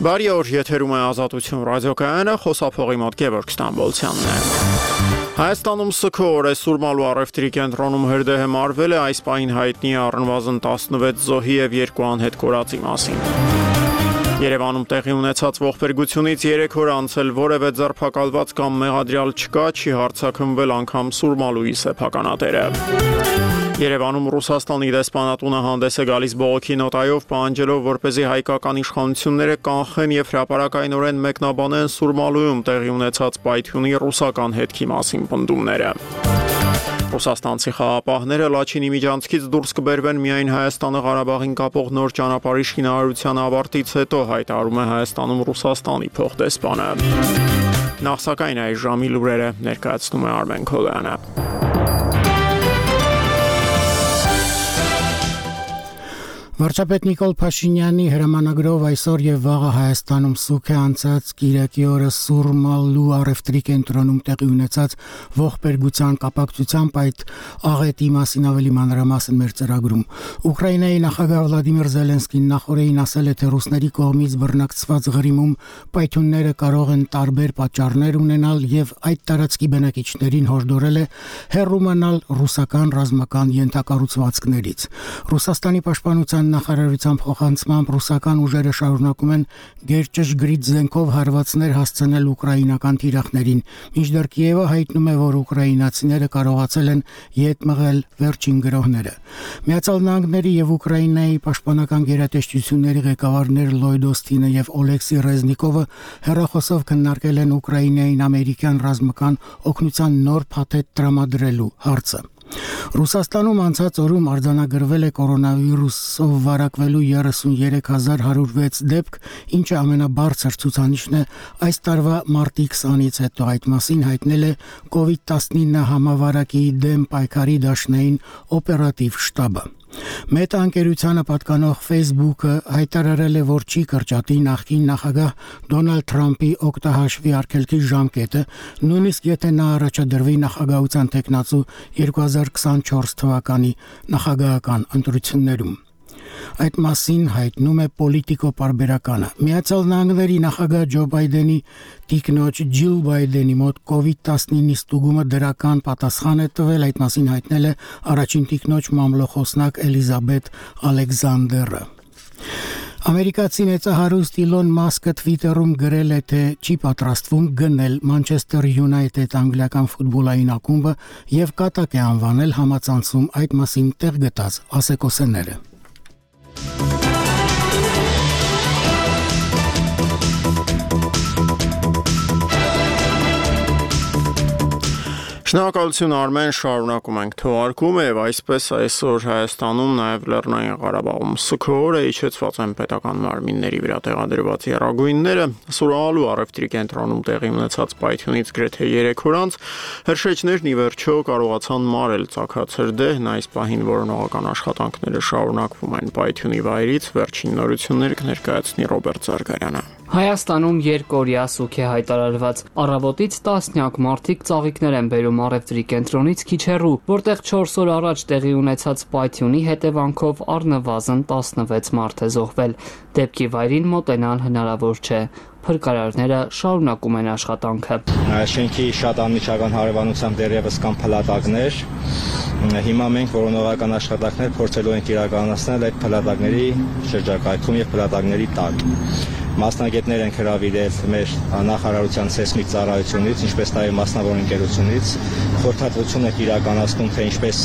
Բարի օր, եթերում է Ազատություն ռադիոկայանը, խոսափողի մոտ Գևորգ Ստամբոլցյանն է։ Հայաստանում սգո օր է Սուրմալու առևտրի կենտրոնում հրդեհը մարվել է, այս պահին հայտնի է առնվազն 16 զոհի և 2 անհետ կորածի մասին։ Երևանում տեղի ունեցած ողբերգությունից 3 օր անցել որևէ ձերբակալված կամ մեղադրյալ չկա, չի հարձակումվել անգամ Սուրմալուի սեփականատերը։ Երևանում Ռուսաստանի դեսպանատունը հանդես է գալիս բողոքի նոտայով, պահանջելով, որպեսզի հայկական իշխանությունները կանխեն և հրապարակայնորեն մեկնաբանեն Սուրմալուում տեղի ունեցած պայթյունի ռուսական հետքի մասին պնդումները։ Ռուսաստանցի խաղապահները Լաչինի միջանցքից դուրս կբերվեն միայն Հայաստանը Ղարաբաղին կապող նոր ճանապարհի շինարարության ավարտից հետո, հայտարարում է Հայաստանում Ռուսաստանի փոխդեսպանը։ Նախ սակայն այս ժամի լուրերը ներկայացնում է Արմեն Քոլյանը։ Վարչապետ Նիկոլ Փաշինյանի հրամանագրով այսօր եւ վաղը Հայաստանում սուգ է անցած Կիրակի օրը Սուրմալու առևտրի կենտրոնում տեղի ունեցած ողբերգության կապակցությամբ այդ աղետի մասին ավելի մանրամասն մեր ծրագրում։ Ուկրաինայի նախագահ Վլադիմիր Զելենսկին նախորդին ասել է, թե ռուսների կողմից բռնակցված Ղրիմում պայթյունները կարող են տարբեր պատճառներ ունենալ եւ այդ տարածքի բնակիչներին հորդորել է հեռու մնալ ռուսական ռազմական ենթակառուցվածքներից։ Ռուսաստանի պաշտպանության նախարարության փոխանցմամբ ռուսական ուժերը շարունակում են գերճշգրիտ զենքով հարվածներ հասցնել ուկրաինական թիրախներին, մինչդեռ Կիևը հայտնում է, որ ուկրաինացիները կարողացել են ետ մղել վերջին գրոհները։ Միացյալ Նահանգների եւ Ուկրաինայի պաշտպանական գերատեսչությունների ղեկավարներ Լոյդ Օստինը եւ Օլեքսի Ռեզնիկովը հեռախոսով քննարկել են Ուկրաինային ամերիկյան ռազմական օգնության նոր փաթեթ տրամադրելու հարցը։ Ռուսաստանում անցած օրում արձանագրվել է կորոնավիրուսով վարակվելու 33106 դեպք, ինչը ամենաբարձր ցուցանիշն է այս տարվա մարտի 20-ից հետո, այդ մասին հայտնել է COVID-19 համավարակի դեմ պայքարի դաշնային օպերատիվ շտաբը։ Մետա ընկերությանը պատկանող Facebook-ը հայտարարել է, որ չի կրճատի նախկին նախագահ Դոնալդ Թրամփի օգտահաշվի արգելքի ժամկետը, նույնիսկ եթե նա առաջադրվի նախագահության թեկնածու 2024 թվականի նախագահական ընտրություններում։ Այդ մասին հայտնում է Պոլիտիկո պարբերականը։ Միացյալ Նահանգների նախագահ Ջո Բայդենի տիկնոջ Ջիլ Բայդենի մոտ COVID-19-ի ստուգումը դրական պատասխան է տվել, այդ մասին հայտնել է առաջին տիկնոջ մամլոխոսնակ Էլիզաբեթ Ալեքսանդերը։ Ամերիկացի մեծահարուստ Իլոն Մասկը Twitter-ում գրել է, թե չի պատրաստվում գնել Մանչեսթեր Յունայթեդ անգլիական ֆուտբոլային ակումբը եւ կատակ է անվանել համացանցում այդ մասին տեղ գտած ասեկոսեները։ Շնորհակալություն Արմեն, շարունակում ենք թողարկումը եւ այսպես այսօր Հայաստանում նաեւ Լեռնային Ղարաբաղում սգո օր է, իջեցված են պետական մարմինների վրա տեղադրված եռագույնները։ Սուրմալու առևտրի կենտրոնում տեղի ունեցած պայթյունից գրեթե 3 օր անց հրշեջներն ի վերջո կարողացան մարել ծագած հրդեհն, այս պահին որոնողական աշխատանքները շարունակվում են պայթյունի վայրից, վերջին նորություններ կներկայացնի Ռոբերտ Զարգարյանը։ Հայաստանում երկօրյա սուգ է հայտարարված։ Առավոտից տասնյակ մարդիկ ծաղիկներ են բերում առևտրի կենտրոնից քիչ հեռու, որտեղ 4 օր առաջ տեղի ունեցած պայթյունի հետևանքով առնվազն 16 մարդ է զոհվել։ Դեպքի վայրին մոտենալ հնարավոր չէ։ Փրկարարները շարունակում են աշխատանքը։ Շենքի շատ անմիջական հարևանությամբ դեռևս կան փլատակներ։ Հիմա մենք որոնողական աշխատանքներ փորձելու ենք իրականացնել այդ փլատակների շրջակայքում եւ փլատակների տակ։ Մասնագետներ ենք հրավիրել մեր նախարարության սեյսմիկ ծառայությունից, ինչպես նաև մասնավոր ընկերությունից, խորհրդատվություն եք իրականացնում, թե ինչպես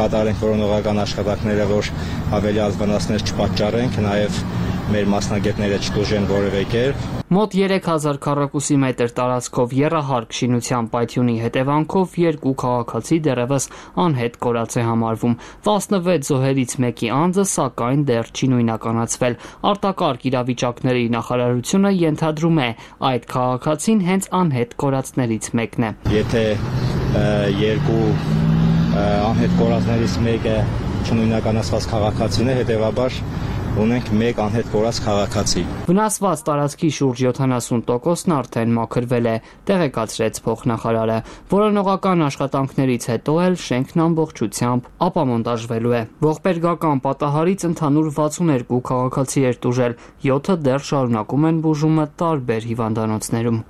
կատարենք որոնողական աշխատանքները, որ ավելի վնասներ չպատճառենք, նաև մեր մասնագետները չտուժեն որևէ կերպ։ Մոտ 3000 քառակուսի մետր տարածքով եռահարկ շինության պայթյունի հետևանքով 2 քաղաքացի դեռևս անհետ կորած է համարվում։ 16 զոհերից մեկի անձը սակայն դեռ չի նույնականացվել։ Արտակարգ իրավիճակների նախարարությունը ենթադրում է, այդ քաղաքացին հենց անհետ կորածներից մեկն է։ Եթե 2 անհետ կորածներից մեկը չնույնականացված քաղաքացին է, հետևաբար ունենք մեկ անհետ կորած քաղաքացի։ Վնասված տարածքի շուրջ 70%-ն արդեն մաքրվել է, տեղեկացրեց փոխնախարարը։ Որոնողական աշխատանքներից հետո էլ շենքն ամբողջությամբ ապամոնտաժվելու է։ Ողբերգական պատահարից ընդհանուր 62 քաղաքացի էր տուժել, 7-ը դեռ շարունակում են բուժումը տարբեր հիվանդանոցներում։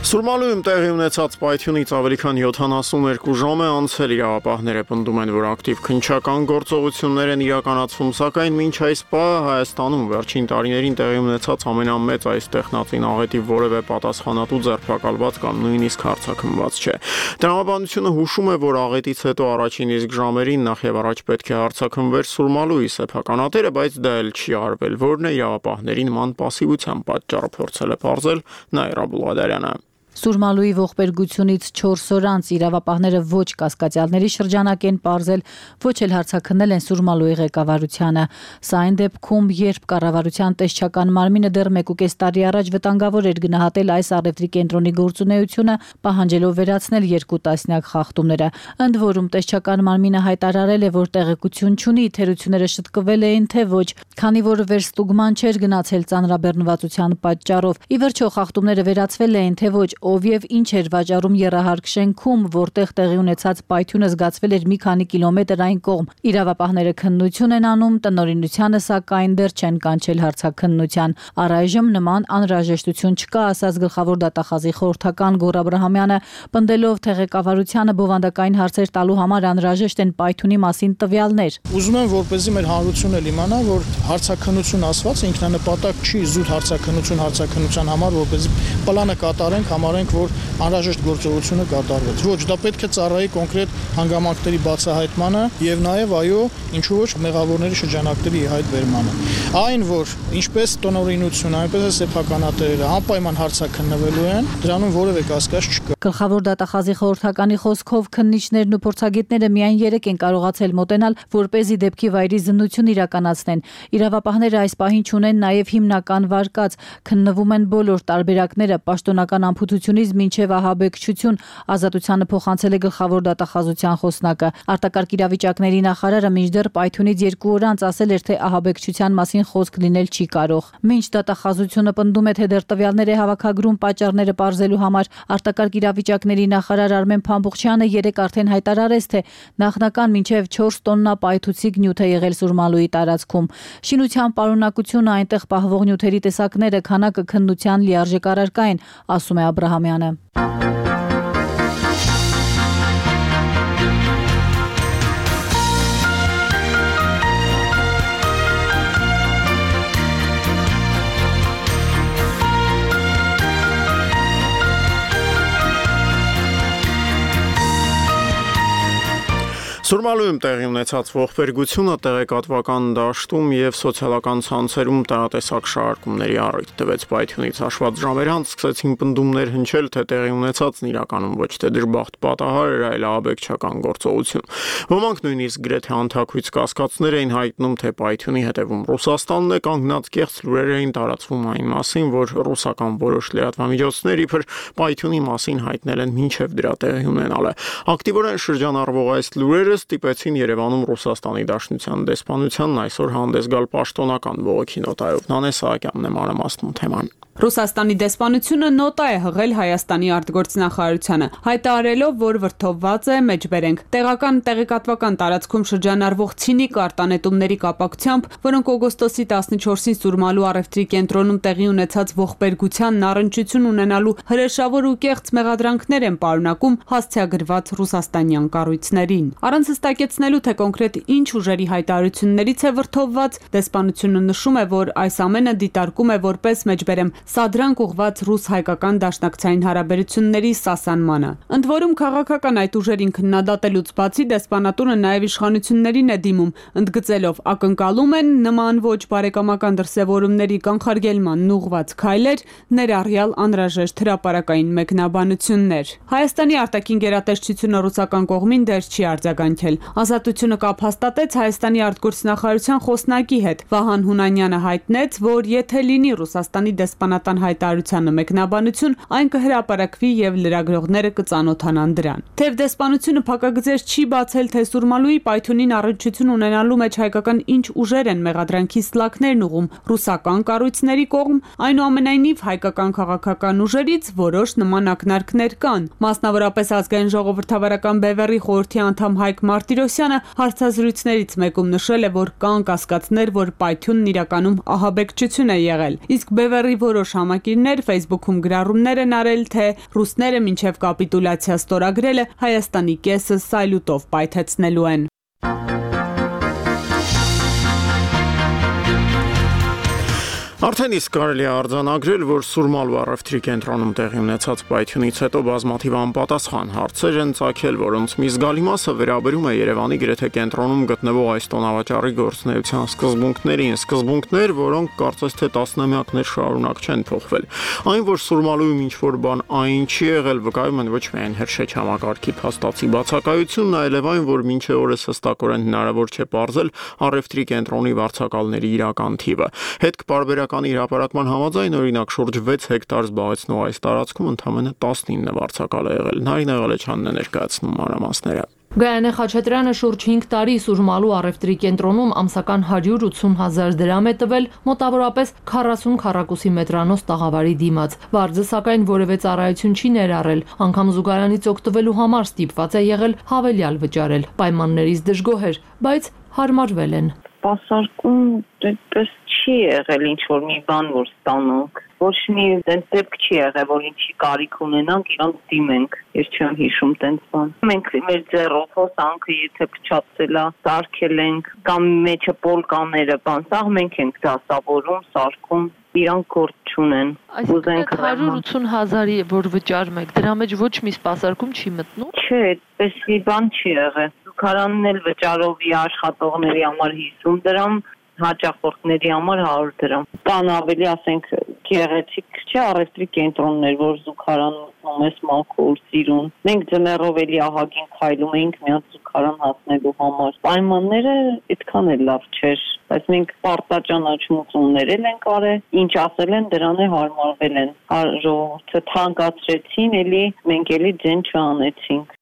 Սուրմալույում տեղի ունեցած պայթյունից ավելի քան 72 ժամ է անցել, իրավապահները պնդում են, որ ակտիվ քննչական գործողություններ են իրականացվում, սակայն մինչ այս պահը Հայաստանում վերջին տարիներին տեղի ունեցած ամենամեծ այս տեխնատին աղետի որևէ պատասխանատու ձերբակալված կամ նույնիսկ հարձակումված չէ։ Տրամաբանությունը հուշում է, որ աղետից հետո առաջին իսկ ժամերին նախ եւ առաջ պետք է հարձակվեր Սուրմալուի սեփականատերը, բայց դա էլ չի արվել, որն է իրավապահների նման պասիվության պատճառը փորձել է պարզել Նաիրա Բուլղադարյանը։ Սուրմալուի ողբերգությունից 4 օր անց իրավապահները ոչ կասկածյալների շրջանակ են պարզել, ոչ էլ հարձակնել են Սուրմալուի ղեկավարությանը։ Սա այն դեպքում, երբ կառավարության տեսչական մարմինը դեռ 1.5 տարի առաջ վտանգավոր էր գնահատել այս առևտրի կենտրոնի գործունեությունը, պահանջելով վերացնել 2 տասնյակ խախտումները։ Ընդ որում տեսչական մարմինը հայտարարել է, որ տեղեկություն չունի, թերությունները շտկվել էին թե ոչ, քանի որ վերստուգման չէր գնացել ծանրաբեռնվածության պատճառով։ Ի վերջո խախտումները վերացվել էին թե ոչ, ով եւ ինչ էր վաճառում եռահարկ շենքում, որտեղ տեղի ունեցած պայթյունը զգացվել էր մի քանի կիլոմետր այն կողմ։ Իրավապահները քննություն են անում, տնօրինությանը սակայն դեռ չեն կանչել հարցաքննության։ Առայժմ նման անհրաժեշտություն չկա, ասաց գլխավոր դատախազի խորհրդական Գոռ Աբրահամյանը, պնդելով թե ղեկավարությանը բովանդակային հարցեր տալու համար անհրաժեշտ են պայթյունի մասին տվյալներ։ Ուզում եմ, որպեսզի մեր հանրությունը իմանա, որ հարցաքննություն ասված ինքնանպատակ չի զուտ հարցաքննության համար, որպեսզի պլանը կատարենք, համարենք, որ անհրաժեշտ գործողությունը կատարվեց։ Ոչ, դա պետք է ծառայի կոնկրետ հանգամանքների բացահայտմանը եւ նաեւ այո, ինչու ոչ մեղավորների շրջանակների հայտ բերմանը։ Այն, որ ինչպես տնօրինությունը, այնպես էլ սեփականատերերը անպայման հարցաքննվելու են, դրանում որևէ կասկած չկա։ Գլխավոր դատախազի խորհրդականի խոսքով քննիչներն ու փորձագետները միայն 3 են կարողացել մոտենալ, որպեսզի դեպքի վայրի զննություն իրականացնեն։ Իրավապահները այս պահին ունեն նաեւ հիմնական վարկած, քննվում են բոլոր տարբերակները, պաշտոնական ամփոփությունից մինչև ահաբեկչություն, ազատությանը փոխանցել է գլխավոր դատախազության խոսնակը։ Արտակարգ իրավիճակների նախարարը մինչդեռ պայթյունից 2 օր անց ասել էր, թե ահաբեկչության մասին խոսք լինել չի կարող։ Մինչ դատախազությունը պնդում է, թե դեռ տվյալներ է հավաքագրում պատճառները պարզելու համար, արտակարգ իրավիճակների նախարար Արմեն Փամբուխչյանը 3 արդեն հայտարարեց, թե նախնական մինչև 4 տոննա պայթուցիկ նյութ է եղել Սուրմալուի տարածքում։ Շինության պարունակությունը, այնտեղ պահվող նյութերի տեսակները, քանակը քննության լիարժեք առարկա են, ասում է Աբրահամյանը։ Սուրմալույում տեղի ունեցած ողբերգությունը տեղեկատվական դաշտում եւ սոցիալական ցանցերում տարատեսակ շարժումների առիթ տվեց։ Պայթյունից հաշված ժամեր անց սկսեցին պնդումներ հնչել, թե տեղի ունեցածն իրականում ոչ թե դժբախտ պատահար էր, այլ ահաբեկչական գործողություն։ Ոմանք նույնիսկ գրեթե անթաքույց կասկածներ էին հայտնում, թե պայթյունի հետևում Ռուսաստանն է կանգնած, կեղծ լուրեր էին տարածվում այն մասին, որ ռուսական որոշ լրատվամիջոցներ իբր պայթյունի մասին հայտնել են մինչև դրա տեղի ունենալը։ Ակտիվորեն շրջանառվող այս լուրերը ստիպեցին Երևանում Ռուսաստանի Դաշնության դեսպանությանն այսօր հանդես գալ պաշտոնական բողոքի նոտայով։ Նանե Սահակյանն է մանրամասնում թեման։ Ռուսաստանի դեսպանությունը նոտա է հղել Հայաստանի արտգործնախարարությանը, հայտարարելով, որ վրդովված է մեջբերենք տեղական տեղեկատվական տարածքում շրջանառվող ցինիկ արտանետումների կապակցությամբ, որոնք օգոստոսի 14-ին Սուրմալու առևտրի կենտրոնում տեղի ունեցած ողբերգությանն առնչություն ունենալու հրեշավոր ու կեղծ մեղադրանքներ են պարունակում հասցեագրված ռուսաստանյան կառույցներին։ Առանց հստակեցնելու, թե կոնկրետ ինչ ուժերի հայտարարություններից է վրդովված, դեսպանությունը նշում է, որ այս ամենը դիտարկում է որպես մեջբերեմ սադրանք ուղված ռուս-հայկական դաշնակցային հարաբերությունների սասանմանը։ Ընդ որում քաղաքական այդ ուժերին քննադատելուց բացի դեսպանատունը նաև իշխանություններին է դիմում, ընդգծելով ակնկալում են նման ոչ բարեկամական դրսևորումների կանխարգելմանն ուղված քայլեր, ներառյալ անհրաժեշտ հրապարակային մեկնաբանություններ։ Հայաստանի արտաքին գերատեսչությունը ռուսական կողմին դեռ չի արձագանքել։ Ազատությունը կապ հաստատեց Հայաստանի արտգործնախարարության խոսնակի հետ։ Վահան Հունանյանը հայտնեց, որ եթե լինի Ռուսաստանի դեսպանատունի պատասխանատան հայտարարությանը մեկնաբանություն, այն կհրապարակվի եւ լրագրողները կծանոթանան դրան։ Թեև դեսպանությունը փակագծեր չի բացել, թե Սուրմալուի պայթյունին առնչություն ունենալու մեջ հայկական ինչ ուժեր են մեղադրանքի սլաքներն ուղում ռուսական կառույցների կողմ, այնուամենայնիվ հայկական քաղաքական ուժերից որոշ նման ակնարկներ կան։ Մասնավորապես ազգային ժողովրդավարական բևեռի խորհրդի անդամ Հայկ Մարտիրոսյանը հարցազրույցներից մեկում նշել է, որ կան կասկածներ, որ պայթյունն իրականում ահաբեկչություն է եղել։ Իսկ բևեռի որոշ համակիրներ Facebook-ում գրառումներ են արել, թե ռուսները մինչև կապիտուլյացիա ստորագրելը Հայաստանի կեսը սայլուտով պայթեցնելու են։ Արդեն իսկ կարելի է արձանագրել, որ Սուրմալու առևտրի կենտրոնում տեղի ունեցած պայթյունից հետո բազմաթիվ անպատասխան հարցեր են ծագել, որոնց մի զգալի մասը վերաբերում է Երևանի գրեթե կենտրոնում գտնվող այս տոնավաճառի գործունեության սկզբունքներին, սկզբունքներ, որոնք կարծես թե տասնամյակներ շարունակ չեն փոխվել։ Այն, որ Սուրմալուում ինչ-որ բան այն չի եղել, վկայում են ոչ միայն հրշեջ համակարգի փաստացի բացակայությունն, այլև այն, որ մինչև օրս հստակորեն հնարավոր չէ պարզել առևտրի կենտրոնի վարձակալների իրական թիվը։ Հետքպարբերական իր հրապարակման համաձայն, օրինակ, շուրջ 6 հեկտար զբաղեցնող այս տարածքում ընդամենը 19 վարձակալ է եղել։ Նարինե Ղալեչյանն է ներկայացնում մանրամասները։ Գայանե Խաչատրյանը շուրջ 5 տարի Սուրմալու առևտրի կենտրոնում ամսական 180,000 դրամ է տվել մոտավորապես 40 քառակուսի մետրանոց տաղավարի դիմաց։ Վարձը սակայն որևէ ծառայություն չի ներառել, անգամ զուգարանից օգտվելու համար ստիպված է եղել հավելյալ վճարել։ Պայմաններից դժգոհ էր, բայց հարմարվել են։ Պասարկում դեպս չի եղել ինչ-որ մի բան, որ ստանանք։ Ոչ մի դենց դեպք չի եղել, որ ինչի կարիք ունենանք, իրանք դիմենք։ Ես չեմ հիշում դենց բան։ Մենք մեր ձեռով հոսանքը եթե փչացել է, սարքել ենք, կամ մեջը պոլկաները, բան, սա մենք ենք դասավորում, սարքում, իրանք գործ չունեն։ Այսինքն 180,000-ի որ վճարում եք, դրա մեջ ոչ մի սպասարկում չի մտնում։ Չէ, այդպես մի բան չի եղել։ Զուգարանն էլ վճարովի աշխատողների համար 50 դրամ, հաճախորդների համար 100 դրամ։ Կան ավելի, ասենք, գեղեցիկ չէ առևտրի կենտրոններ, որ զուգարան մտնում ես մաքուր, սիրուն։ Մենք ձմեռով էլի ահագին քայլում էինք մի հատ զուգարան հասնելու համար։ Պայմանները այդքան էլ լավ չէր, բայց մենք պարտաճանաչումներ ենք արել, ինչ ասել են, դրան է հարմարվել են։ Ժողովուրդը թանկացրեցին, էլի մենք էլի ձեն չանեցինք։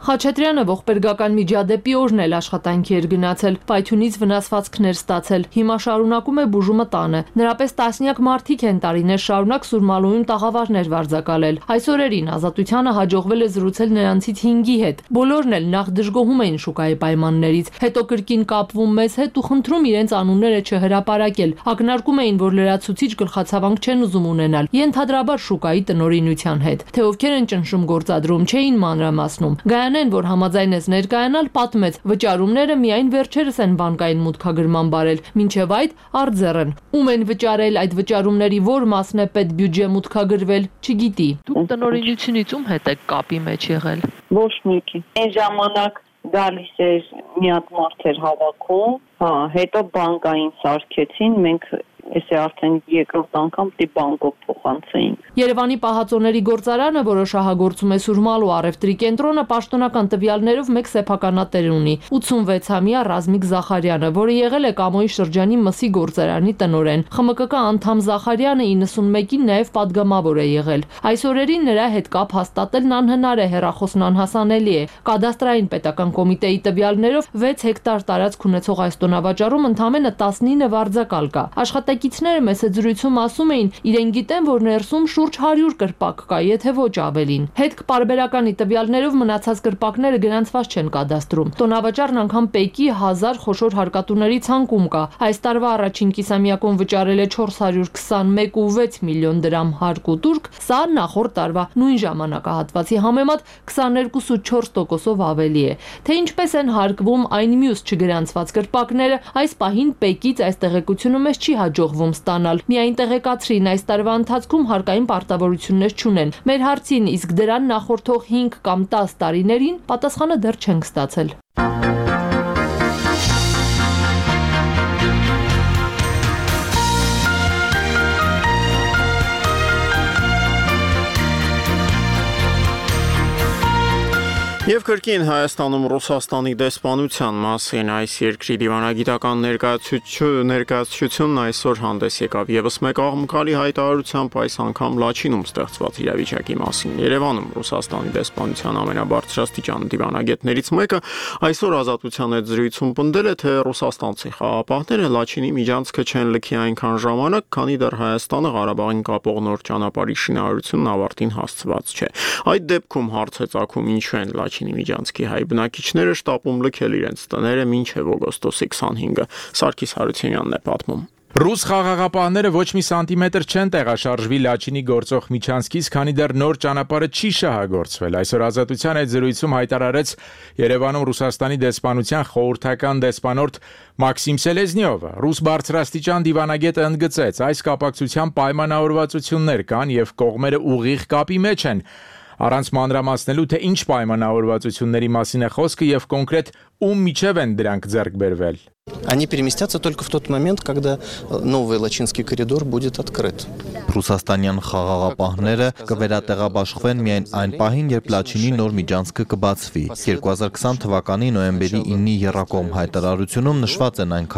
Խաչատրյանը ողբերգական միջադեպի օրն էլ աշխատանքի էր գնացել, պայթյունից վնասվածքներ ստացել։ Հիմա շարունակում է բուժումը տանը։ Նրա պես տասնյակ մարդիկ են տարիներ շարունակ Սուրմալուում տաղավարներ վարձակալել։ Այս օրերին Ազատությանը հաջողվել է զրուցել նրանցից 5-ի հետ։ Բոլորն էլ նախ դժգոհում էին շուկայի պայմաններից, հետո կրկին կապվում մեզ հետ ու խնդրում իրենց անունները չհրապարակել։ Ակնարկում էին, որ լրացուցիչ գլխացավանք չեն ուզում ունենալ, ենթադրաբար շուկայի տնօրինության հետ։ Թե ովքեր են ճնշում գործադրում, չէին մանրամասնում։ Գայանեն, որ համաձայնեց ներկայանալ, պատմեց, վճարումները միայն վերջերս են բանկային մուտքագրման բարել, մինչև այդ արձեռն։ Ում են վճարել, այդ վճարումների որ մասն է պետբյուջե մուտքագրվել, չգիտի։ Դուք տնօրինությունից ում հետ եք կապի մեջ եղել։ Ոչ մեկի։ Այն ժամանակ գալիս էր մի հատ մարդ էր հավաքում, հետո բանկային սարքեցին, մենք Էսե արդեն երկրորդ անգամ դի բանկով փոխանցեինք։ Երևանի պահածոների գործարանը, որը շահագործում է Սուրմալու առևտրի կենտրոնը, պաշտոնական տվյալներով մեկ սեփականատեր ունի՝ 86-ամյա Ռազմիկ Զախարյանը, որը եղել է Կամոյի շրջանի Մսի գործարանի տնօրեն։ ԽՄԿԿ անդամ Զախարյանը 91-ին նաև падգամավոր է եղել։ Այս օրերին նրա հետ կապ հաստատելն անհնար է, հեռախոսն անհասանելի է։ Կադաստրային պետական կոմիտեի տվյալներով 6 հեկտար տարածք ունեցող այս տոնավաճառում ընդամենը 19 վարձակալ կա։ Աշխատակիցները մեծ զրույցում ասում էին, իրեն գիտեն, որ ներսում շուրջ 100 կրպակ կա, եթե ոչ ավելին։ Հետք-պարբերականի տվյալներով մնացած կրպակները գրանցված չեն կադաստրում։ Տոնավաճառն անգամ Պեկի 1000 խոշոր հարկատուների ցանկում կա։ Այս տարվա առաջին կիսամյակում վճարել է 421.6 միլիոն դրամ հարկ ու տուրք, սա նախորդ տարվա նույն ժամանակահատվածի համեմատ 22.4%-ով ավելի է։ Թե ինչպես են հարկվում այն մյուս չգրանցված կրպակները, այս պահին Պեկից այս տեղեկությունը մեզ չի հաջողվում ստանալ։ Միայն տեղեկացրին, այս տարվա ընթացքում հարկային պարտավորություններ չունեն։ Մեր հարցին, իսկ դրան նախորդող 5 կամ 10 տարիներին պատասխանը դեռ չենք ստացել։ Եվ կրկին Հայաստանում Ռուսաստանի դեսպանության մասին այս երկրի դիվանագիտական ներկայացությունն այսօր հանդես եկավ եւս մեկ աղմկալի հայտարարությամբ այս անգամ Լաչինում ստեղծված իրավիճակի մասին։ Երևանում Ռուսաստանի դեսպանության ամենաբարձրաստիճան դիվանագետներից մեկը այսօր Ազատության հետ զրույցում պնդել է, թե ռուսաստանցի խաղապահները Լաչինի միջանցքը չեն լքի այնքան ժամանակ, քանի դեռ Հայաստանը Ղարաբաղին կապող նոր ճանապարհի շինարարությունն ավարտին հասցված չէ։ Այդ դեպքում հարց է ծագում ինչու են Լաչինի միջանցքի հայ բնակիչները շտապում լքել իրենց տները մինչև օգոստոսի 25-ը։ Սարգիս Հարությունյանն է պատմում։ Ռուս խաղաղապահները ոչ մի սանտիմետր չեն տեղաշարժվի Լաչինի գործող միջանցքից, քանի դեռ նոր ճանապարհը չի շահագործվել։ Այսօր Ազատության այդ զրույցում հայտարարեց Երևանում Ռուսաստանի դեսպանության խորհրդական դեսպանորդ Մաքսիմ Սելեզնյովը։ Ռուս բարձրաստիճան դիվանագետը ընդգծեց, այս կապակցությամբ պայմանավորվածություններ կան եւ կողմերը ուղիղ կապի մեջ են։ Առանց մանրամասնելու, թե ինչ պայմանավորվածությունների մասին է խոսքը եւ կոնկրետ ում միջև են դրանք ձեռք բերվել։ Они переместятся только в тот момент, когда новый Лачинский коридор будет открыт. Ռուսաստանյան խաղաղապահները կվերատեղաբաշխվեն միայն այն պահին, երբ Լաչինի նոր միջանցքը կբացվի։ 2020 թվականի նոյեմբերի 9-ի եռակողմ հայտարարությունում նշված են այն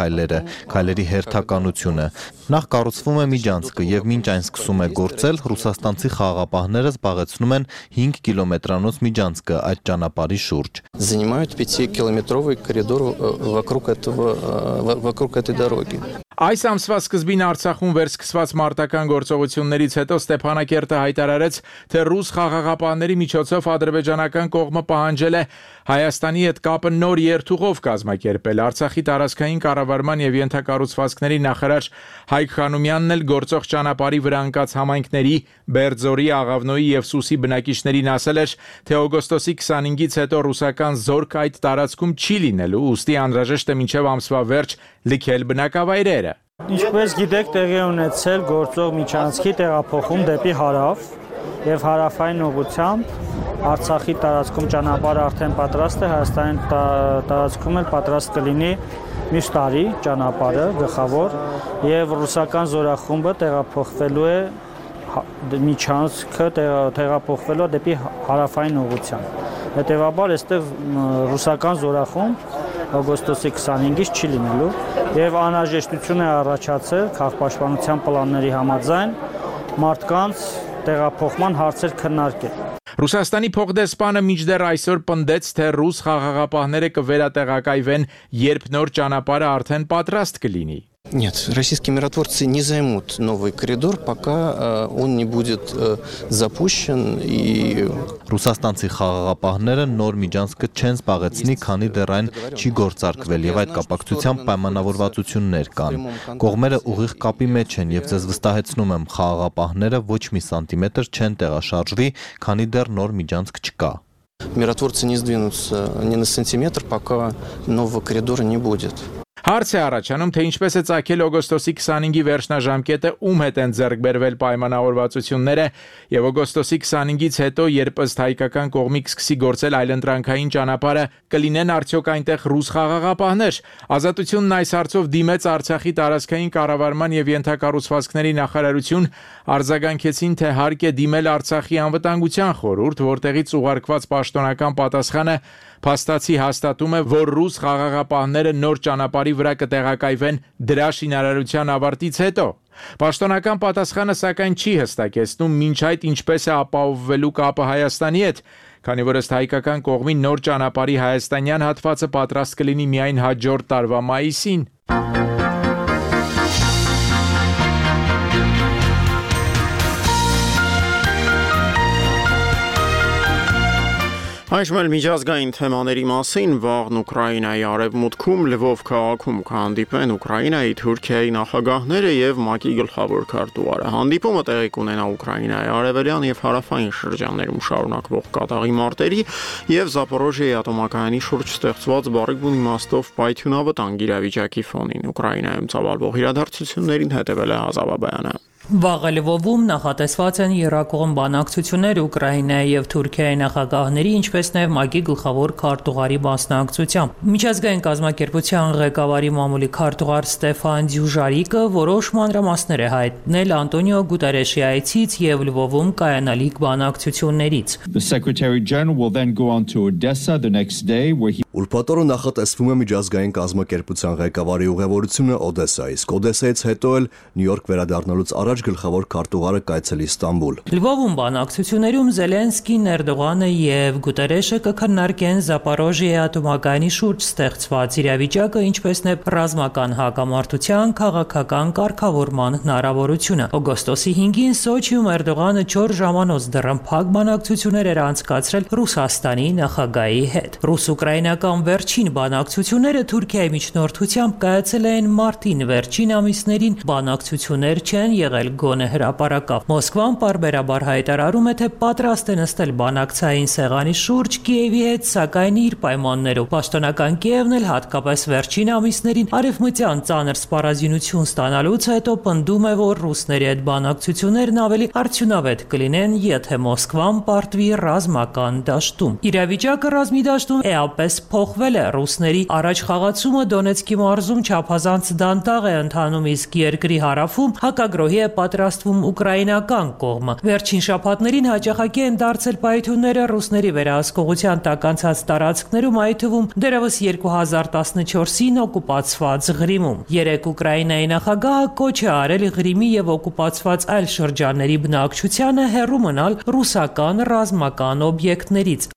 քայլերի հերթականությունը։ Նախ կառուցվում է միջանցքը եւ մինչ այն սկսում է գործել, ռուսաստանցի խաղաղապահները զբաղեցնում են 5 կիլոմետրանոց միջանցքը այդ ճանապարհի շուրջ։ Занимают 5-километровый коридор вокруг этой дороги. Այս ամսվա սկզբին Արցախում վերսկսված մարտական գործողություններից հետո Ստեփանակերտը հայտարարեց, թե ռուս խաղաղապահների միջոցով ադրբեջանական կողմը պահանջել է Հայաստանի հետ կապը նոր երթուղով կազմակերպել։ Արցախի տարածքային կառավարման եւ ենթակառուցվածքների նախարար Հայկ Խանոմյանն էլ գործող ճանապարհի վրա ընկած համայնքների Բերձորի, Աղավնոյի եւ Սուսի բնակիչներին ասել էր, թե օգոստոսի 25-ից հետո ռուսական զորք այդ տարածքում չի լինելու, ուստի անհրաժեշտ է մինչեւ ամսվա վերջ լքել բնակավայրերը։ Ինչպես գիտեք, տեղի ունեցել գործող միջանցքի տեղափոխում դեպի հարավ եւ հարավային ուղղությամբ Արցախի տարածքում ճանապարհը արդեն պատրաստ է, Հայաստանի տարածքում էլ պատրաստ կլինի մյուս տարի ճանապարհը գլխավոր եւ ռուսական զորախումբը տեղափոխվելու է միջանցքը տեղափոխվելու դեպի հարավային ուղղությամբ։ Հետևաբար այստեղ ռուսական զորախումբ օգոստոսի 25-ից չի լինելու եւ անհրաժեշտություն է առաջացել քաղաքապաշտպանության պլանների համաձայն մարդկանց տեղափոխման հարցեր քննարկել։ Ռուսաստանի փոխդեսպանը մինչդեռ այսօր պնդեց, թե ռուս խաղաղապահները կվերատեղակայվեն, երբ նոր ճանապարհը արդեն պատրաստ կլինի։ Нет, российские миротворцы не займут новый коридор, пока он не будет запущен и Ռուսաստանցի խաղաղապահները նոր միջանցքը չեն զբաղեցնի, քանի դեռ այն չի գործարկվել եւ այդ կապակցությամբ պայմանավորվածություններ կան։ Կողմերը ուղիղ կապի մեջ են եւ ձեզ վստահեցնում եմ, խաղաղապահները ոչ մի սանտիմետր չեն տեղաշարժվի, քանի դեռ նոր միջանցք չկա։ Миротворцы не сдвинутся ни на сантиметр, пока нового коридора не будет. Հարց է առաջանում, թե ինչպես է ծագել օգոստոսի 25-ի վերջնաժամկետը, ում հետ են ձեռք բերվել պայմանավորվածությունները եւ օգոստոսի 25-ից հետո, երբ ըստ հայկական կողմի կսկսի գործել այլընտրանքային ճանապարհը, կլինեն արդյոք այնտեղ ռուս խաղաղապահներ։ Ազատությունն այս հարցով դիմեց Արցախի տարածքային կառավարման եւ ենթակառուցվածքների նախարարություն, արձագանքեցին, թե հարկ է դիմել Արցախի անվտանգության խորհուրդ, որտեղից ուղարկված պաշտոնական պատասխանը փաստացի հաստատում է, որ ռուս խաղաղապահները նոր ճանապարհի վրա կտեղակայվեն դրա շինարարության ավարտից հետո։ Պաշտոնական պատասխանը սակայն չի հստակեցնում մինչ այդ ինչպես է ապահովվելու կապը Հայաստանի հետ, քանի որ ըստ հայկական կողմի նոր ճանապարհի հայաստանյան հատվածը պատրաստ կլինի միայն հաջորդ տարվա մայիսին։ Այժմ էլ միջազգային թեմաների մասին վաղն Ուկրաինայի արևմուտքում Լվով քաղաքում կհանդիպեն Ուկրաինայի, Թուրքիայի նախագահները եւ ՄԱԿ-ի գլխավոր քարտուղարը։ Հանդիպումը տեղի կունենա Ուկրաինայի արևելյան եւ հարավային շրջաններում շարունակվող կատաղի մարտերի եւ Զապորոժիայի ատոմակայանի շուրջ ստեղծված բառիկուն իմաստով պայթյունավտանգ իրավիճակի ֆոնին։ Ուկրաինայում ծավալվող իրադարձություններին հետևել է Ազավաբյանը։ Վաղ Լվովում նախատեսված են եռակողմ բանակցություններ Ուկրաինայի եւ Թուրքիայի նախագահների, ինչպես նաեւ ՄԱԿ-ի գլխավոր քարտուղարի մասնակցությամբ։ Միջազգային կազմակերպության ղեկավարի մամուլի քարտուղար Ստեֆան Դյուժարիկը որոշ մանրամասներ է հայտնել Անտոնիո Գուտերեշի այցից եւ Լվովում կայանալիք բանակցություններից։ Ուրբաթօրը նախատեսվում է միջազգային կազմակերպության ղեկավարի ուղևորությունը Օդեսա, իսկ Օդեսայից հետո էլ Նյու Յորք վերադառնալուց առաջ գլխավոր քարտուղարը կայցելի Ստամբուլ։ Լվովում բանակցություններում Զելենսկին, Էրդողանը եւ Գուտերեշը կքննարկեն Զապորոժիայի ատոմակայանի շուրջ ստեղծված իրավիճակը, ինչպես նաեւ ռազմական հակամարտության քաղաքական կարգավորման հնարավորությունը։ Օգոստոսի 5-ին Սոչիում Էրդողանը 4 ժամանոց դռնփակ բանակցություններ էր անցկացրել Ռուսաստանի նախագահի հետ։ Ռուս-ուկրաինական վերջին բանակցությունները Թուրքիայի միջնորդությամբ կայացել են մարտին, վերջին ամիսներին բանակցություններ չեն եղել գոնե հրապարակավ։ Մոսկվան պարբերաբար հայտարարում է, թե պատրաստ է նստել բանակցային սեղանի շուրջ Կիևի հետ, սակայն իր պայմաններով։ Պաշտոնական Կիևն էլ հատկապես վերջին ամիսներին արևմտյան ծանր սպառազինություն ստանալուց հետո պնդում է, որ ռուսների հետ բանակցություններն ավելի արդյունավետ կլինեն, եթե Մոսկվան պարտվի ռազմական դաշտում։ Իրավիճակը ռազմի դաշտում էապես փոխվել է։ Ռուսների առաջխաղացումը Դոնեցկի մարզում չափազանց դանդաղ է ընթանում, իսկ երկրի հարավում հակագրոհի է պատրաստվում ուկրաինական կողմը։ Վերջին շաբաթներին հաճախակի են դարձել պայթյունները ռուսների վերահսկողության տակ անցած տարածքներում, այդ թվում դեռևս 2014-ին օկուպացված Ղրիմում։ Երեք Ուկրաինայի նախագահը կոչ է արել Ղրիմի եւ օկուպացված այլ շրջանների բնակչությանը հեռու մնալ ռուսական ռազմական օբյեկտներից։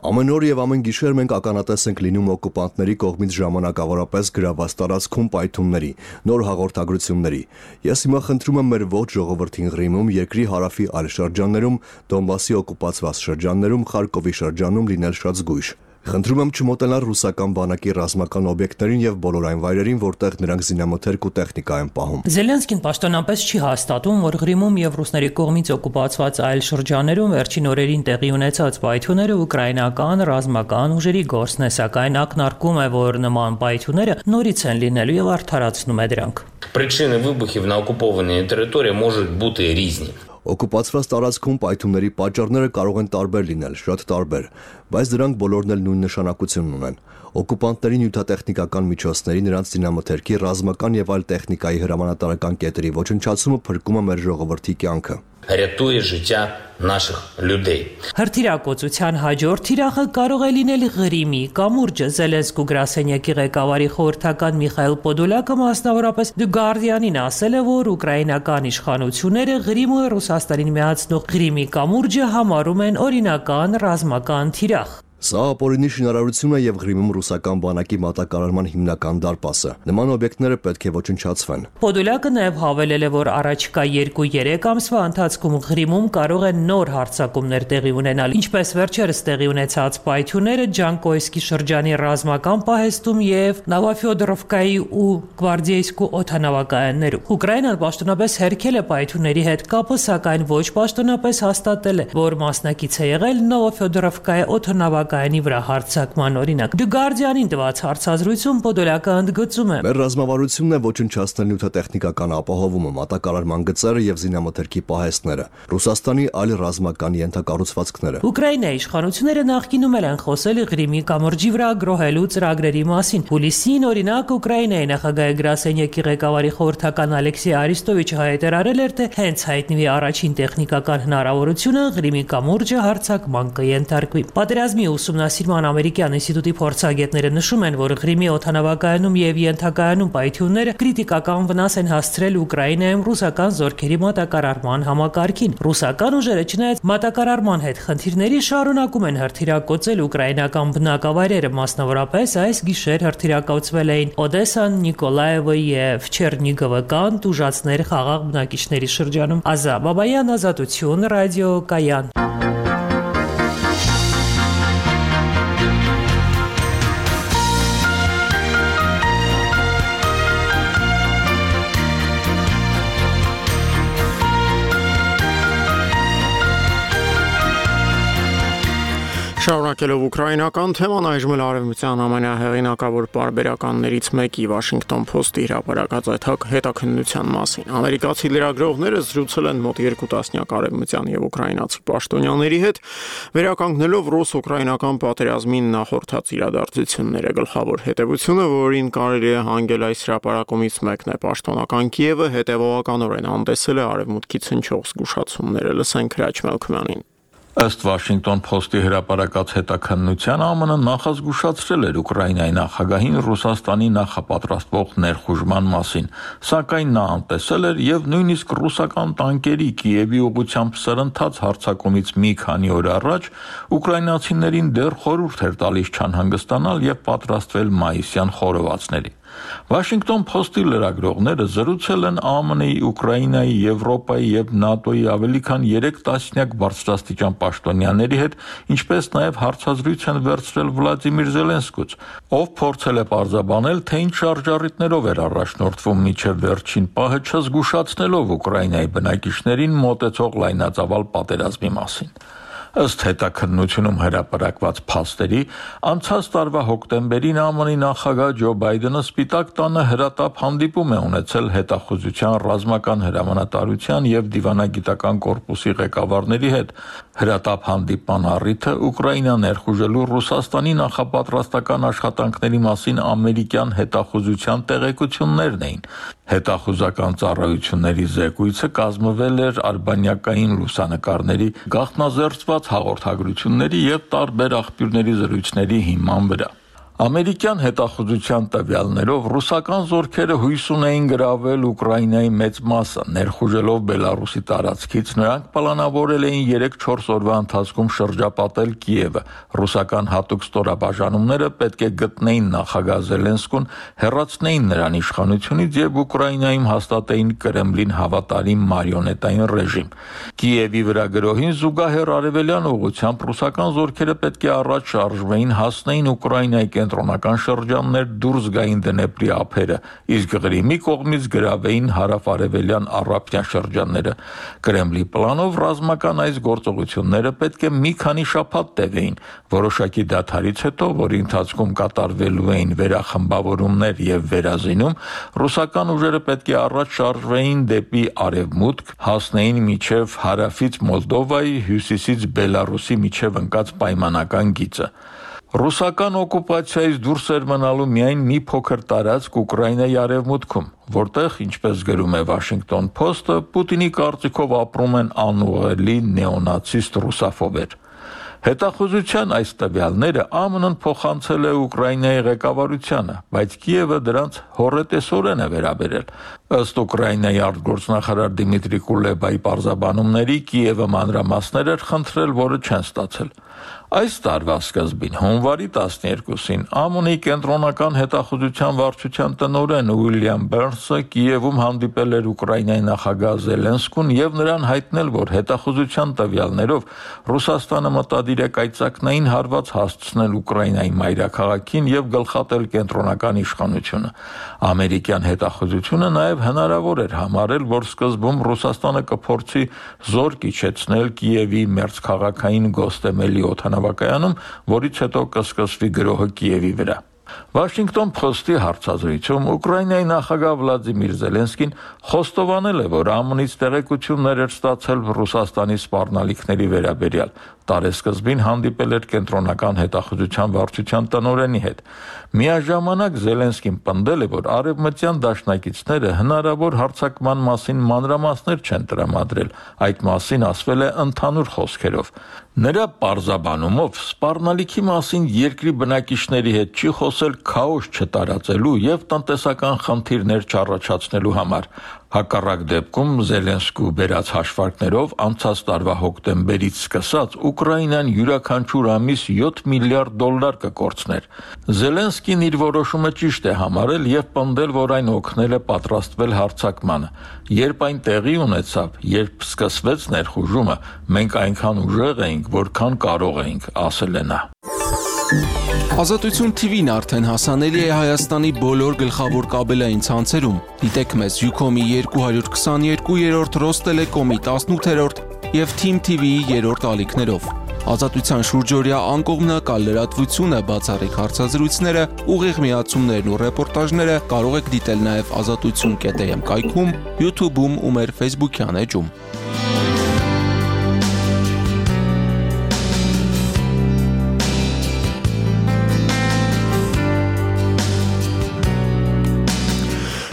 Ամեն օր եւ ամեն գիշեր մենք ականատես ենք լինում օկուպանտների կողմից ժամանակավորապես գրաված տարածքում պայթյունների, նոր հաղորդագրությունների։ Ես հիմա խնդրում եմ մեր ողջ ժողովրդին Ղրիմում, երկրի հարավի այլ շրջաններում, Դոնբասի օկուպացված շրջաններում, Խարկովի շրջանում լինել շատ զգույշ։ Խնդրում եմ չմոտենալ ռուսական բանակի ռազմական օբյեկտներին եւ բոլոր այն վայրերին, որտեղ նրանք զինամթերք ու տեխնիկա են պահում։ Զելենսկին պաշտոնապես չի հաստատում, որ Ղրիմում եւ ռուսների կողմից օկուպացված այլ շրջաններում վերջին օրերին տեղի ունեցած պայթյունները ուկրաինական ռազմական ուժերի գործն է, սակայն ակնարկում է, որ նման պայթյունները նորից են լինելու եւ արդարացնում է դրանք։ Причини вибухів на окупованій території можуть бути різні. Օկուպացված տարածքում պայթյունների պատճառները կարող են տարբեր լինել, շատ տարբեր, բայց դրանք բոլորն էլ նույն նշանակությունն ունեն։ Օկուպանտների նյութատեխնիկական միջոցների, նրանց զինամթերքի, ռազմական եւ այլ տեխնիկայի հրամանատարական կետերի ոչնչացումը փրկում է մեր ժողովրդի կյանքը։ Рятує життя наших людей. Հրթիռակոծության հաջորդ թիրախը կարող է լինել Ղրիմի կամուրջը։ Զելենսկու գրասենյակի ղեկավարի խորհրդական Միխայել Պոդոլյակը մասնավորապես The Guardian-ին ասել է, որ ուկրաինական իշխանությունները Ղրիմը Ռուսաստանին միացնող Ղրիմի կամուրջը համարում են օրինական ռազմական թիրախ։ Սա ապօրինի շինարարություն է եւ Ղրիմում ռուսական բանակի մատակարարման հիմնական դարպասը։ Նման օբյեկտները պետք է ոչնչացվեն։ Պոդոլյակը նաեւ հավելել է, որ առաջիկա 2-3 ամսվա ընթացքում Ղրիմում կարող են նոր հարձակումներ տեղի ունենալ, ինչպես վերջերս տեղի ունեցած պայթյունները Ջանկոյսկի շրջանի ռազմական պահեստում եւ Նավաֆյոդորովկայի ու Գվարդիեյսկու օդանավակայաններում։ Ուկրաինան պաշտոնապես հերքել է պայթյունների հետ կապը, սակայն ոչ պաշտոնապես հաստատել է, որ մասնակից է եղել Նավաֆյոդորովկայի օդանավակայանի վրա հարձակման օրինակ։ The Guardian-ին տված հարցազրույցում Պոդոլյակը ընդգծում է. Մեր ռազմավարությունն է ոչնչացնել նյութատեխնիկական ապահովումը, մատակարարման գծերը եւ զինամթերքի պահեստները, Ռուսաստանի այլ ռազմական ենթակառուցվածքները։ Ուկրաինայի իշխանությունները նախկինում են խոսել Ղրիմի կամուրջի վրա գրոհելու ծրագրերի մասին։ Հուլիսին օրինակ Ուկրաինայի նախագահի գրասենյակի ղեկավարի խորհրդական Ալեքսեյ Արիստովիչը հայտարարել էր, թե հենց հայտնվի առաջին տեխնիկական հնարավորությունը Ղրիմի կամուրջը հարձակման կենթարկվի։ Պատերազմի ուսումնասիրման ամերիկյան ինստիտուտի փորձագետները նշում են, որ Ղրիմի օդանավակայանում եւ ենթակայանում պայթյունները կրիտիկական վնաս են հասցրել Ուկրաինայում ռուսական զորքերի մատակարարման համակարգին։ Ռուսական ուժերը չնայած մատակարարման հետ խնդիրների շարունակում են հրթիռակոծել ուկրաինական բնակավայրերը, մասնավորապես այս գիշեր հրթիռակոծվել էին Օդեսան, Նիկոլաևը եւ Չերնիգովը կան տուժածներ խաղաղ բնակիչների շրջանում։ Ազա Բաբայան, Ազատություն, ռադիո Կայան։ Շարունակելով ուկրաինական թեման, այժմ արևմտյան ամենահեղինակավոր պարբերականներից մեկի Washington Post-ի հրապարակած այդ հետաքննության մասին։ Ամերիկացի լրագրողները զրուցել են մոտ 2 տասնյակ արևմտյան եւ ուկրաինացի պաշտոնյաների հետ, վերականգնելով ռուս-ուկրաինական պատերազմին նախորդած իրադարձությունները։ Գլխավոր հետևությունը, որին կարելի է հանգել այս հրապարակումից մեկն է պաշտոնական Կիևը հետևողականորեն հանդեսել է արևմուտքից հնչող զգուշացումները։ Լսենք Հրաչ Մելքումյանին։ Ըստ Washington Post-ի հրապարակած հետաքննության ԱՄՆ նախազգուշացրել էր Ուկրաինայի նախագահին Ռուսաստանի նախապատրաստվող ներխուժման մասին, սակայն նա անտեսել էր եւ նույնիսկ ռուսական տանկերի Կիևի ուղղությամբ սրընթաց հարձակումից մի քանի օր առաջ ուկրաինացիներին դեռ խորհուրդ էր տալիս չանհանգստանալ եւ պատրաստվել մայիսյան խորովածների։ Washington Post-ի լրագրողները զրուցել են ԱՄՆ-ի, Ուկրաինայի, Եվրոպայի եւ ՆԱՏՕ-ի ավելի քան 3 տասնյակ բարձրաստիճան պաշտոնյաների հետ, ինչպես նաեւ հարցազրույց են վերցրել Վլադիմիր Զելենսկուց, ով փորձել է պարզաբանել, թե ինչ շարժառիթներով էր առաջնորդվում մինչև վերջին պահը, չզգուշացնելով Ուկրաինայի բնակիչներին մոտեցող լայնածավալ պատերազմի մասին։ Ըստ հետաքննությունում հրապարակված փաստերի, անցած տարվա հոկտեմբերին ԱՄՆ-ի նախագահ Ջո Բայդենը Սպիտակ տանը հրատապ հանդիպում է ունեցել հետախուզության ռազմական հրամանատարության եւ դիվանագիտական կորպուսի ղեկավարների հետ։ Հրատապ հանդիպման առիթը Ուկրաինա ներխուժելու Ռուսաստանի նախապատրաստական աշխատանքների մասին ամերիկյան հետախուզության տեղեկություններն էին։ Հետախուզական ծառայությունների զեկույցը կազմվել էր արբանյակային լուսանկարների, գաղտնազերծված հաղորդագրությունների եւ տարբեր աղբյուրների զրույցների հիման վրա։ Ամերիկյան հետախուզության տվյալներով ռուսական զորքերը հույս ունեին գրավել Ուկրաինայի մեծ մասը, ներխուժելով Բելարուսի տարածքից նրանք պլանավորել էին 3-4 օրվա ընթացքում շրջապատել Կիևը։ Ռուսական հատուկ ստորաբաժանումները պետք է գտնեին նախագահ Զելենսկուն, հեռացնեին նրան իշխանությունից եւ Ուկրաինայում հաստատեին Կրեմլին հավատարիմ մարիոնետային ռեժիմ։ Կիևի վրա գրոհին զուգահեռ արևելյան ուղղությամբ ռուսական զորքերը պետք է առաջ շարժվեին, հասնեին Ուկրաինայի կենտրոնական շրջաններ, դուրս գային Դնեպրի ափերը, իսկ Ղրիմի կողմից գրավեին հարավ-արևելյան առափնյա շրջանները։ Կրեմլի պլանով ռազմական այս գործողությունները պետք է մի քանի շաբաթ տևեին։ Որոշակի դադարից հետո, որի ընթացքում կատարվելու էին վերախմբավորումներ եւ վերազինում, ռուսական ուժերը պետք է առաջ շարժվեին դեպի արևմուտք, հասնեին մինչև հարավից Մոլդովայի, հյուսիսից Բելարուսի միջև ընկած պայմանական գիծը։ Ռուսական օկուպացիայից դուրս էր մնալու միայն մի փոքր տարածք Ուկրաինայի արևմուտքում, որտեղ, ինչպես գրում է Washington Post-ը, Պուտինի կարծիքով ապրում են անուղղելի նեոնացիստ ռուսաֆոբեր։ Հետախուզության այս տվյալները ԱՄՆ-ն փոխանցել է Ուկրաինայի ղեկավարությանը, բայց Կիևը դրանց հոռետեսորեն է վերաբերել։ Ըստ Ուկրաինայի արտգործնախարար Դիմիտրի Կուլեբայի պարզաբանումների, Կիևը մանրամասներ էր խնդրել, որը չեն ստացել։ Այս տարվա սկզբին, հունվարի 12-ին, ԱՄՆ-ի կենտրոնական հետախուզության վարչության տնօրեն Ուիլյամ Բերնսը Կիևում հանդիպել էր Ուկրաինայի նախագահ Զելենսկուն եւ նրան հայտնել, որ հետախուզության տվյալներով Ռուսաստանը մտադիր է կայծակնային հարված հասցնել Ուկրաինայի մայրաքաղաքին եւ գլխատել կենտրոնական իշխանությունը։ Ամերիկյան հետախուզությունը նաեւ հնարավոր էր համարել, որ սկզբում Ռուսաստանը կփորձի զորք իջեցնել Կիևի մերձքաղաքային Գոստեմելի օդանավակայանում, որից հետո կսկսվի գրոհը Կիևի վրա։ Washington Post-ի հարցազրույցում Ուկրաինայի նախագահ Վլադիմիր Զելենսկին խոստովանել է, որ ԱՄՆ-ից տեղեկություններ էր ստացել Ռուսաստանի սպառնալիքների վերաբերյալ։ Տարեսկզբին հանդիպել էր կենտրոնական հետախուզության վարչության տնօրենի հետ։ Միաժամանակ Զելենսկին պնդել է, որ արևմտյան դաշնակիցները հնարավոր հարձակման մասին մանրամասներ չեն տրամադրել, այդ մասին ասվել է ընդհանուր խոսքերով։ Նրա պարզաբանումով սպառնալիքի մասին երկրի բնակիչների հետ չի խոսել քաոս չտարածելու եւ տնտեսական խնդիրներ չառաջացնելու համար։ Հակառակ դեպքում Զելենսկու բերած հաշվարկներով անցած տարվա հոկտեմբերից սկսած Ուկրաինան յուրաքանչյուր ամիս $7 միլիարդ կկորցներ։ Զելենսկին իր որոշումը ճիշտ է համարել եւ պնդել, որ այն օգնել է պատրաստվել հարձակմանը։ Երբ այն տեղի ունեցավ, երբ սկսվեց ներխուժումը, մենք այնքան ուժեղ էինք, որքան կարող էինք, ասել է նա։ Ազատություն TV-ն արդեն հասանելի է Հայաստանի բոլոր գլխավոր կաբելային ցանցերում։ Դիտեք մեզ Ucom-ի 222-րդ, Rostellecom-ի 18-րդ եւ Team TV-ի 3-րդ ալիքներով։ Ազատության շուրջօրյա անկողմնակալ լրատվությունը, բացառիկ հարցազրույցները, ուղիղ միացումներն ու ռեպորտաժները կարող եք դիտել նաև azatutsun.am կայքում, YouTube-ում ու մեր Facebook-յան էջում։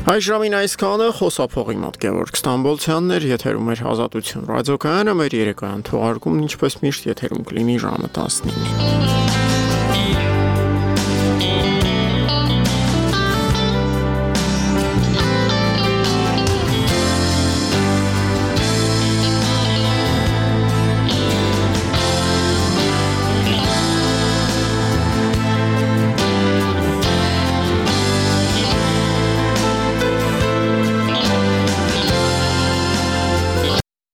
Այս ժամին այսքանը խոսափողի մոտ Գևորգ Ստամբոլցյանն էր, եթերում էր Ազատություն ռադիոկայանը, մեր երեկոյան թողարկումն ինչպես միշտ եթերում կլինի ժամը 19-ին։